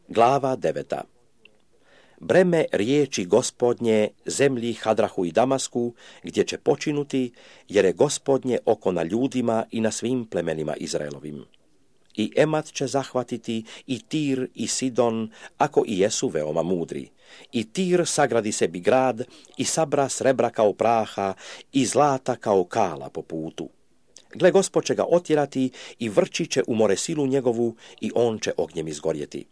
Glava 9. Breme riječi Gospodnje zemlji Hadrahu i Damasku, gdje će počinuti, jer je Gospodnje oko na ljudima i na svim plemenima Izraelovim. I Emat će zahvatiti, i Tir, i Sidon, ako i jesu veoma mudri. I Tir sagradi sebi grad, i sabra srebra kao praha, i zlata kao kala po putu. Gle, Gospod će ga otjerati, i vrći će u more silu njegovu, i on će ognjem izgorjeti.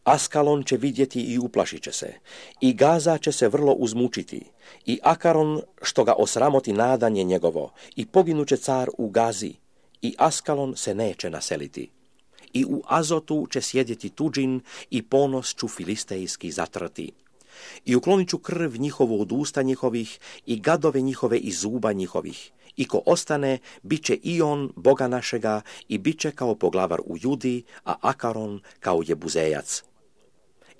Askalon će vidjeti i uplašit će se, i Gaza će se vrlo uzmučiti, i Akaron što ga osramoti nadanje njegovo, i poginuće car u Gazi, i Askalon se neće naseliti. I u Azotu će sjedjeti tuđin, i ponos ću filistejski zatrti. I uklonit ću krv njihovu od usta njihovih, i gadove njihove iz zuba njihovih. I ko ostane, bit će i on, Boga našega, i bit će kao poglavar u Judi, a Akaron kao jebuzejac.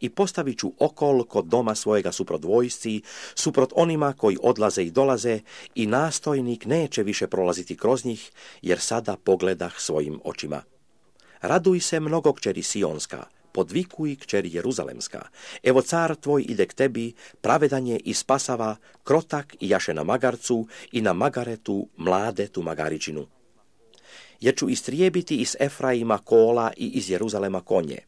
I postavit ću okol kod doma svojega suprot vojsci, suprot onima koji odlaze i dolaze, i nastojnik neće više prolaziti kroz njih, jer sada pogledah svojim očima. Raduj se, mnogo kćeri Sionska, podvikuj, kćeri Jeruzalemska. Evo car tvoj ide k tebi, pravedan je i spasava, krotak i jaše na magarcu, i na magaretu mladetu magaričinu. Jer ću istrijebiti iz Efraima kola i iz Jeruzalema konje.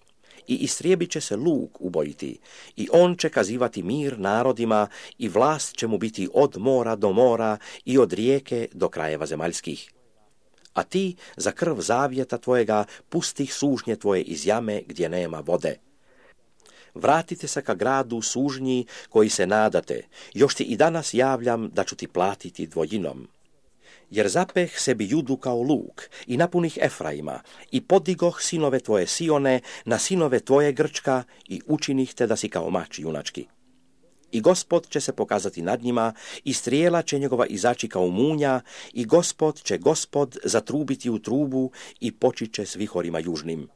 I istrijebit će se luk ubojiti, i on će kazivati mir narodima, i vlast će mu biti od mora do mora, i od rijeke do krajeva zemaljskih. A ti za krv zavjeta tvojega pustih sužnje tvoje iz jame gdje nema vode. Vratite se ka gradu sužnji koji se nadate, još ti i danas javljam da ću ti platiti dvojinom. Jer zapeh sebi Judu kao luk, i napunih Efraima, i podigoh sinove tvoje Sione na sinove tvoje Grčka, i učinih te da si kao mač junački. I Gospod će se pokazati nad njima, i strijela će njegova izaći kao munja, i Gospod će zatrubiti u trubu, i počit će s vihorima južnim.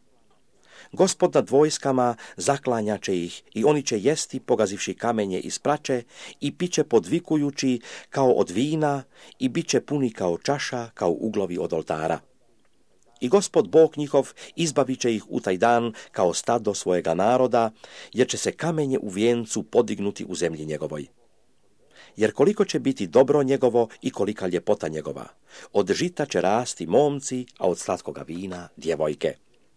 Gospod nad vojskama zaklanja će ih, i oni će jesti pogazivši kamenje iz prače, i piće podvikujući kao od vina, i bit će puni kao čaša, kao uglovi od oltara. I Gospod Bog njihov izbavit će ih u taj dan kao stado svojega naroda, jer će se kamenje u vijencu podignuti u zemlji njegovoj. Jer koliko će biti dobro njegovo i kolika ljepota njegova, od žita će rasti momci, a od slatkoga vina djevojke.